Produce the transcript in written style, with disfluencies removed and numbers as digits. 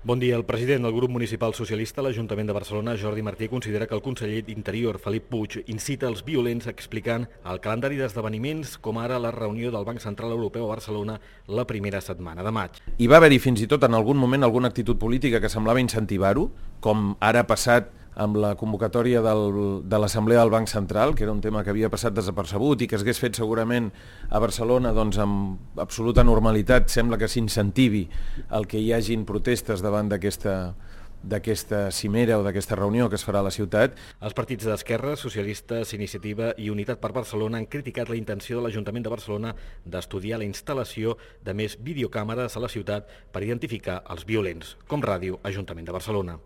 Bon dia. El president del grup municipal socialista a l'Ajuntament de Barcelona, Jordi Martí, considera que el conseller d'Interior, Felip Puig, incita els violents explicant el calendari d'esdeveniments com ara la reunió del Banc Central Europeu a Barcelona la primera setmana de maig. Hi va haver-hi fins i tot en algun moment alguna actitud política que semblava incentivar-ho, com ara ha passat amb la convocatòria de l'Assemblea del Banc Central, que era un tema que havia passat desapercebut i que s'hagués fet segurament a Barcelona doncs, amb absoluta normalitat. Sembla que s'incentivi el que hi hagin protestes davant d'aquesta cimera o d'aquesta reunió que es farà a la ciutat. Els partits d'Esquerra, Socialistes, Iniciativa i Unitat per Barcelona han criticat la intenció de l'Ajuntament de Barcelona d'estudiar la instal·lació de més videocàmeres a la ciutat per identificar els violents, com Ràdio Ajuntament de Barcelona.